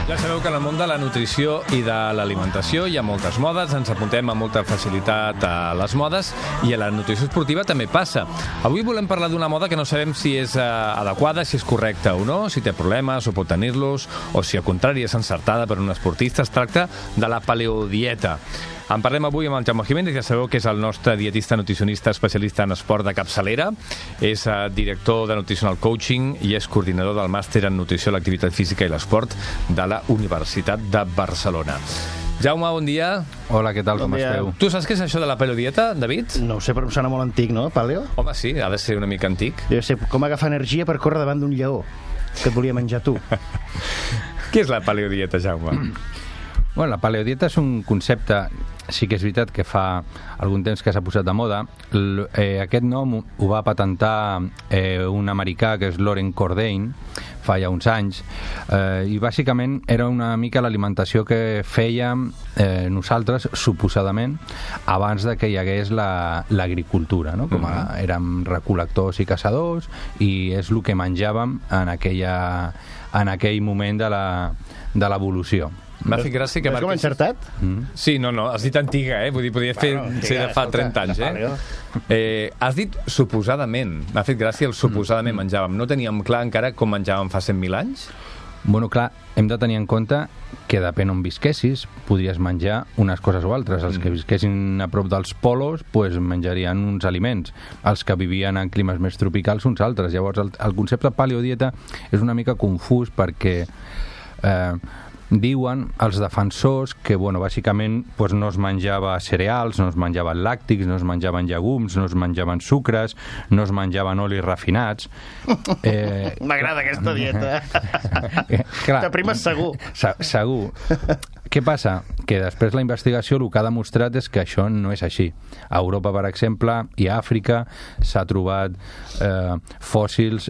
Ja sabeu que en el món de la nutrició i de l'alimentació hi ha moltes modes, ens apuntem amb molta facilitat a les modes i a la nutrició esportiva també passa. Avui volem parlar d'una moda que no sabem si és adequada, si és correcta o no, si té problemes o pot tenir-los, o si al contrari és encertada per un esportista. Es tracta de la paleodieta. En parlem avui amb el Jaume Jiménez, ja sabeu que és el nostre dietista nutricionista especialista en esport de capçalera, és director de Nutritional Coaching i és coordinador del màster en nutrició, l'activitat física i l'esport de la Universitat de Barcelona. Jaume, bon dia. Hola, què tal, com esteu? Tu saps què és això de la paleodieta, David? No ho sé, però em sona molt antic, no, paleo? Home, sí, ha de ser una mica antic. Deu ser com agafar energia per córrer davant d'un lleó que et volia menjar tu. Què és la paleodieta, Jaume? Bueno, la paleodieta és un concepte, sí que és veritat que fa algun temps que s'ha posat de moda. Aquest nom ho va patentar un americà que és Loren Cordain fa ja uns anys, i bàsicament era una mica l'alimentació que fèiem nosaltres, suposadament, abans de que hi hagués l'agricultura, no? Com érem recol·lectors i caçadors, i és el que menjàvem en aquell moment de l'evolució. M'ha fet gràcia que... Veus com he encertat? Sí, no, has dit antiga, Vull dir, podria ser de fa 30 anys, Has dit suposadament. M'ha fet gràcia el suposadament menjàvem. No teníem clar encara com menjàvem fa 100.000 anys? Bueno, clar, hem de tenir en compte que depèn on visquessis, podries menjar unes coses o altres. Els que visquessin a prop dels polos, pues, menjarien uns aliments. Els que vivien en climes més tropicals, uns altres. Llavors, el concepte paleodieta és una mica confús perquè... diuen els defensors que, bueno, bàsicament pues, no es menjava cereals, no es menjaven làctics, no es menjaven llegums, no es menjaven sucres, no es menjaven olis refinats. M'agrada aquesta dieta. T'aprimes segur. Segur. Què passa? Que després la investigació el que ha demostrat és que això no és així. A Europa, per exemple, i a Àfrica s'ha trobat fòssils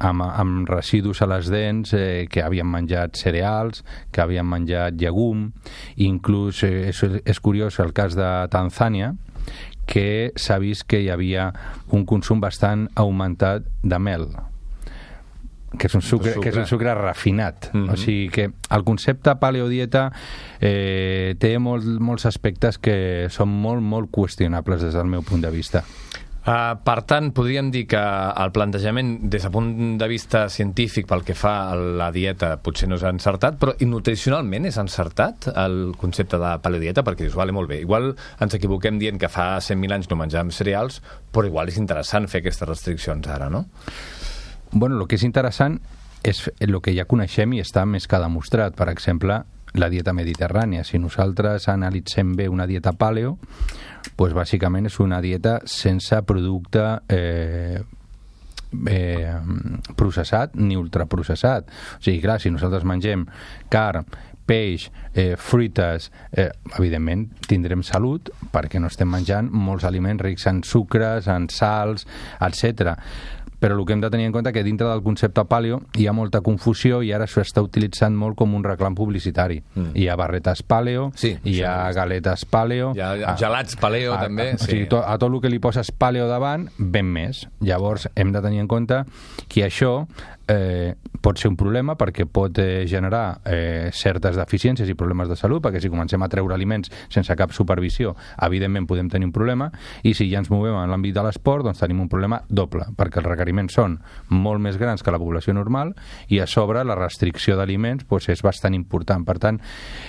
amb residus a les dents que havien menjat cereals, que havien menjat llegum. Inclús és curiós el cas de Tanzània, que s'ha vist que hi havia un consum bastant augmentat de mel, que és un sucre refinat. O sigui que el concepte paleodieta té molts aspectes que són molt qüestionables des del meu punt de vista. Per tant, podríem dir que el plantejament des del punt de vista científic pel que fa a la dieta potser no és encertat, però nutricionalment és encertat el concepte de paleodieta, perquè dius, vale, molt bé, igual ens equivoquem dient que fa 100.000 anys no menjàvem cereals, però igual és interessant fer aquestes restriccions ara, no? Bueno, el que és interessant és el que ja coneixem i està més que demostrat. Per exemple, la dieta mediterrània. Si nosaltres analitzem bé una dieta paleo, doncs bàsicament és una dieta sense producte processat ni ultraprocessat. O sigui, clar, si nosaltres mengem carn, peix, fruites, evidentment tindrem salut perquè no estem menjant molts aliments rics en sucres, en sals, etc. Però el que hem de tenir en compte que dintre del concepte paleo hi ha molta confusió i ara s'està utilitzant molt com un reclam publicitari. Hi ha barretes paleo, hi ha galetes paleo... Hi ha gelats paleo, també. O sigui, a tot el que li poses paleo davant, ven més. Llavors, hem de tenir en compte que això pot ser un problema perquè pot generar certes deficiències i problemes de salut, perquè si comencem a treure aliments sense cap supervisió, evidentment podem tenir un problema, i si ja ens movem en l'àmbit de l'esport, doncs tenim un problema doble, perquè els requeriments són molt més grans que la població normal i a sobre la restricció d'aliments doncs és bastant important. Per tant,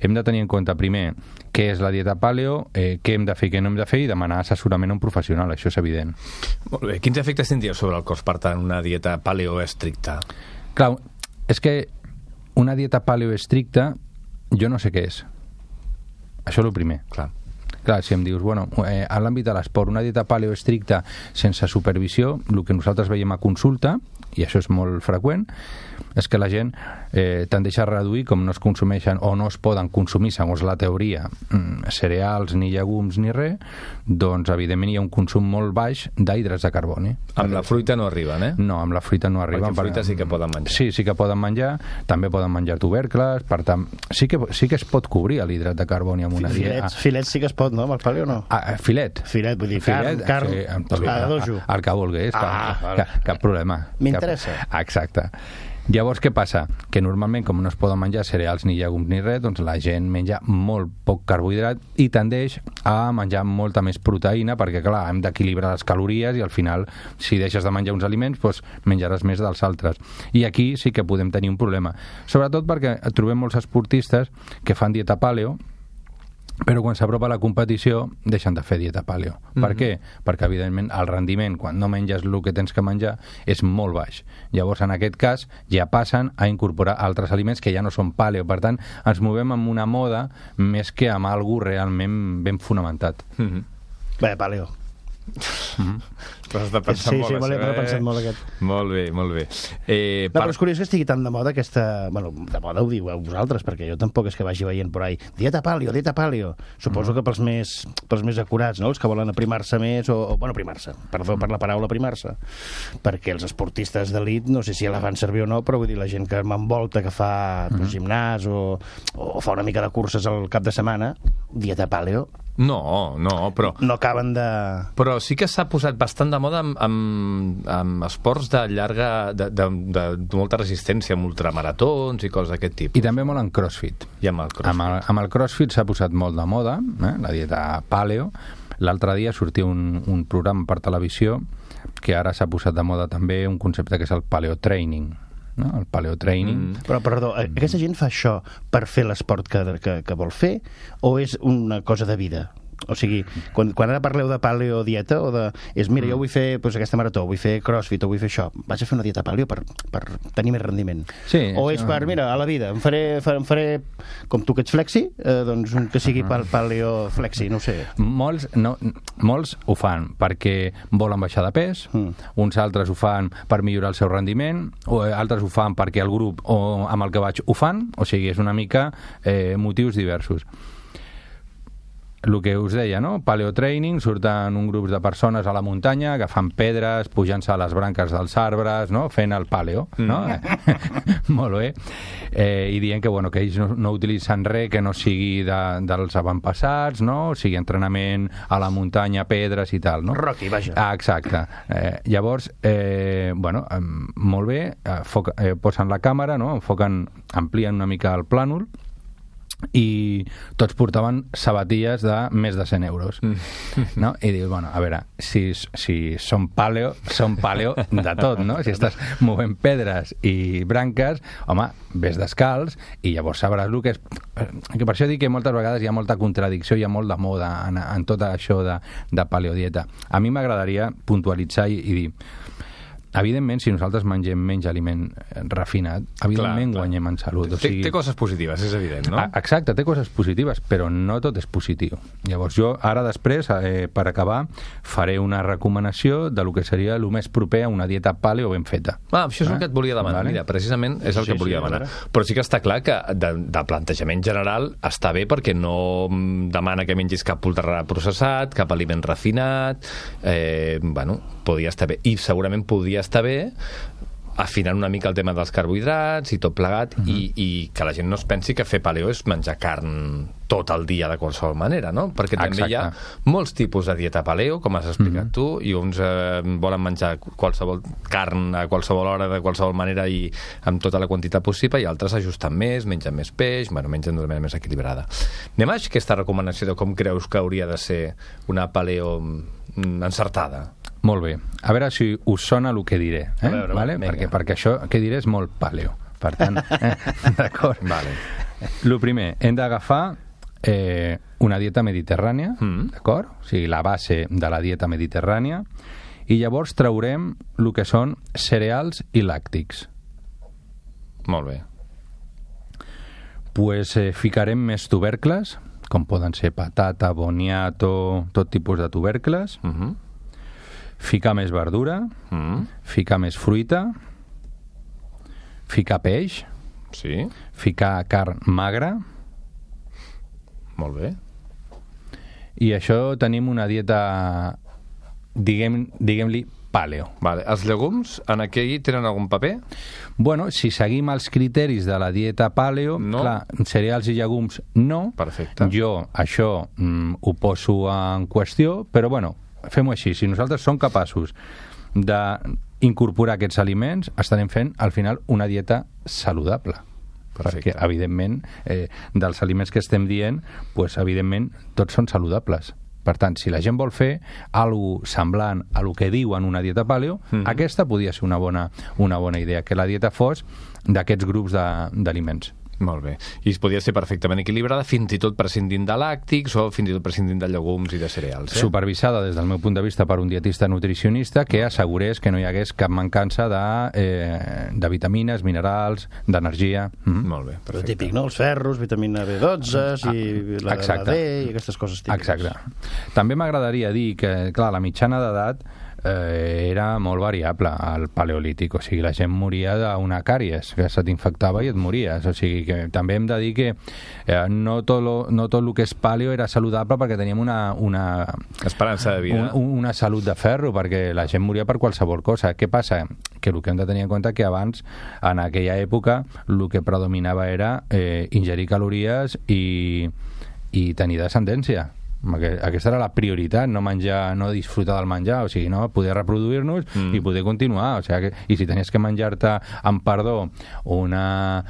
hem de tenir en compte primer què és la dieta paleo, què hem de fer i què no hem de fer, i demanar assessorament a un professional, això és evident. Molt bé. Quins efectes tindria sobre el cos, per tant, una dieta paleo estricta? Clar, és que una dieta paleo estricta jo no sé què és. Això és el primer. Clar, si em dius, bueno, a l'àmbit de l'esport, una dieta paleo estricta sense supervisió, el que nosaltres veiem a consulta, i això és molt freqüent, és que la gent tendeix a reduir, com no es consumeixen o no es poden consumir, segons la teoria, cereals, ni llegums, ni res, doncs evidentment hi ha un consum molt baix d'hidrats de carboni. Amb la fruita no arriben, No, amb la fruita no arriben. Perquè fruita sí que poden menjar. Sí que poden menjar, també poden menjar tubercles, per tant, sí que es pot cobrir l'hidrat de carboni amb una dieta. Filets sí que es pot, no? Amb el paleo no? Filet, vull dir, carn, el que vulguis, cap problema. M'interessa. Exacte. Llavors, què passa? Que normalment, com no es poden menjar cereals ni llegums ni res, doncs la gent menja molt poc carbohidrat i tendeix a menjar molta més proteïna perquè, clar, hem d'equilibrar les calories i al final, si deixes de menjar uns aliments, doncs menjaràs més dels altres. I aquí sí que podem tenir un problema. Sobretot perquè trobem molts esportistes que fan dieta paleo, però quan s'apropa la competició deixen de fer dieta paleo. Per què? Perquè, evidentment, el rendiment, quan no menges el que tens que menjar, és molt baix. Llavors, en aquest cas, ja passen a incorporar altres aliments que ja no són paleo. Per tant, ens movem amb una moda més que amb alguna realment ben fonamentat. Bé, paleo. Però has de pensar molt, me l'he pensat molt, aquest. Molt bé, molt bé. No, però és curiós que estigui tan de moda aquesta... Bueno, de moda ho diu vosaltres, perquè jo tampoc és que vagi veient por ahí. Dieta paleo, dieta paleo. Suposo que pels més acurats, no? Els que volen aprimar-se més, bueno, aprimar-se, perdó per la paraula aprimar-se, perquè els esportistes d'elit, no sé si la fan servir o no, però vull dir, la gent que m'envolta, que fa gimnàs o fa una mica de curses al cap de setmana, dieta paleo. No, però... No acaben de... Però sí que s'ha posat bastant de moda amb esports de llarga... de molta resistència, amb ultramaratons i coses d'aquest tipus. I també molt en crossfit. I amb el crossfit. Amb el crossfit s'ha posat molt de moda, la dieta paleo. L'altre dia sortia un programa per televisió que ara s'ha posat de moda també un concepte que és el paleotraining. No? El paleotraining. Però, perdó, aquesta gent fa això per fer l'esport que vol fer o és una cosa de vida? O sigui, quan ara parleu de paleodieta o de... mira, jo vull fer aquesta marató, vull fer crossfit o vull fer això, vaig a fer una dieta paleo per tenir més rendiment. Sí, o és per, mira, a la vida, em faré com tu que ets flexi, doncs un que sigui paleoflexi, no ho sé. Molts ho fan perquè volen baixar de pes, uns altres ho fan per millorar el seu rendiment, o altres ho fan perquè el grup amb el que vaig ho fan, o sigui, és una mica motius diversos. El que us deia, no? Paleotraining, surten un grup de persones a la muntanya que fan pedres, pujant-se a les branques dels arbres, no? Fent el paleo, no? Molt bé. I dient que, bueno, que ells no utilitzen res que no sigui dels avantpassats, no? O sigui, entrenament a la muntanya, pedres i tal, no? Rocky, vaja. Exacte. Llavors, bueno, molt bé, posen la càmera, no? Amplien una mica el plànol, i tots portaven sabatilles de més de 100 euros, no? I dius, bueno, a veure, si són paleo de tot, no? Si estàs movent pedres i branques, home, ves descalç i llavors sabràs el que és... Que per això dic que moltes vegades hi ha molta contradicció, hi ha molt de moda en tot això de paleodieta. A mi m'agradaria puntualitzar i dir, evidentment, si nosaltres mengem menys aliment refinat, evidentment guanyem en salut. O sigui... Té coses positives, és evident, no? Exacte, té coses positives, però no tot és positiu. Llavors jo, ara després, per acabar, faré una recomanació de lo que seria el més proper a una dieta paleo ben feta. Això és el que et volia demanar. Mira, precisament és el que volia demanar. Però sí que està clar que de plantejament general està bé perquè no demana que mengis cap ultraprocessat, cap aliment refinat, bueno, podria estar bé. I segurament podria estar bé afinant una mica el tema dels carbohidrats i tot plegat, i que la gent no es pensi que fer paleo és menjar carn tot el dia de qualsevol manera, no? Perquè també hi ha molts tipus de dieta paleo, com has explicat tu, i uns volen menjar qualsevol carn a qualsevol hora, de qualsevol manera i amb tota la quantitat possible, i altres ajusten més, mengen més peix, bueno, mengen d'una manera més equilibrada. Anem a aquesta recomanació de com creus que hauria de ser una paleo encertada. Molt bé. A veure si us sona el que diré. Vale? Perquè això que diré és molt paleo. Per tant, d'acord? Vale. El primer, hem d'agafar una dieta mediterrània, d'acord? O sigui, la base de la dieta mediterrània, i llavors traurem el que són cereals i làctics. Molt bé. Pues ficarem més tubercles, com poden ser patata, boniato, tot tipus de tubercles, ficar més verdura, ficar més fruita, ficar peix, ficar carn magra. Molt bé. I això tenim una dieta, diguem-li, paleo. Vale. Els llegums en aquí tenen algun paper? Bueno, si seguim els criteris de la dieta paleo, clar, cereals i llegums no. Perfecte. Jo això ho poso en qüestió, però bueno, fem-ho així. Si nosaltres som capaços de incorporar aquests aliments, estarem fent, al final, una dieta saludable. Perfecte. Perquè, evidentment, dels aliments que estem dient, pues, evidentment, tots són saludables. Per tant, si la gent vol fer alguna semblant a lo que diu en una dieta paleo, aquesta podria ser una bona idea, que la dieta fos d'aquests grups d'aliments. Molt bé. I es podria ser perfectament equilibrada, fins i tot prescindint de làctics o fins i tot prescindint de llegums i de cereals. Supervisada, des del meu punt de vista, per un dietista nutricionista que assegurés que no hi hagués cap mancança de vitamines, minerals, d'energia. Molt bé, perfecte. El típic, no? Els ferros, vitamina B12 i la D i aquestes coses típiques. Exacte. També m'agradaria dir que, clar, la mitjana d'edat era molt variable al paleolític, o sigui, la gent moria d'una càries, que se t'infectava i et mories, o sigui, que també hem de dir que no tot el que és paleo era saludable perquè teníem una esperança de vida, una salut de ferro, perquè la gent moria per qualsevol cosa. Què passa? Que el que hem de tenir en compte que abans, en aquella època, el que predominava era ingerir calories i tenir descendència. Aquesta era la prioritat, no menjar, no disfrutar del menjar, o sigui, no poder reproduir-nos i poder continuar, o sigui, i si tenies que menjar-te, amb perdó, una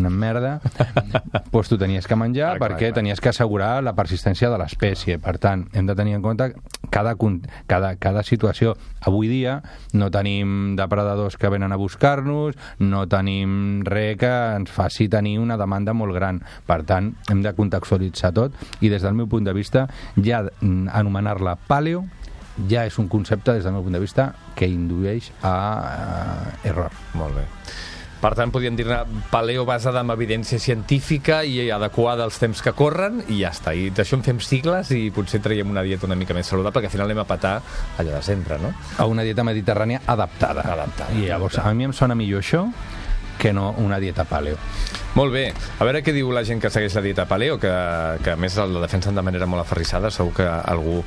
merda, doncs tu tenies que menjar perquè tenies que assegurar la persistència de l'espècie. Per tant, hem de tenir en compte cada situació. Avui dia no tenim depredadors que venen a buscar-nos, no tenim res que ens faci tenir una demanda molt gran. Per tant, hem de contextualitzar tot i des del meu punt de vista ja anomenar-la paleo ja és un concepte, des del meu punt de vista, que indueix a error. Molt bé. Per tant, podríem dir-ne paleo basada en evidència científica i adequada als temps que corren i ja està. I d'això en fem sigles i potser traiem una dieta una mica més saludable, perquè al final anem a petar allò de sempre, no? A una dieta mediterrània adaptada. I llavors, a mi em sona millor això que no una dieta paleo. Molt bé. A veure què diu la gent que segueix la dieta paleo, que a més la defensen de manera molt aferrissada. Segur que algú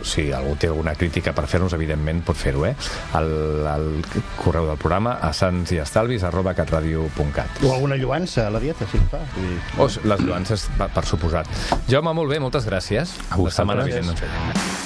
si algú té alguna crítica per fer-nos, evidentment pot fer-ho, al correu del programa a sansestalvis@catradio.cat. O alguna lluança a la dieta, si en fa. Les lluances, per suposat. Jaume, molt bé, moltes gràcies. A vosaltres. La setmana vinent ens veiem.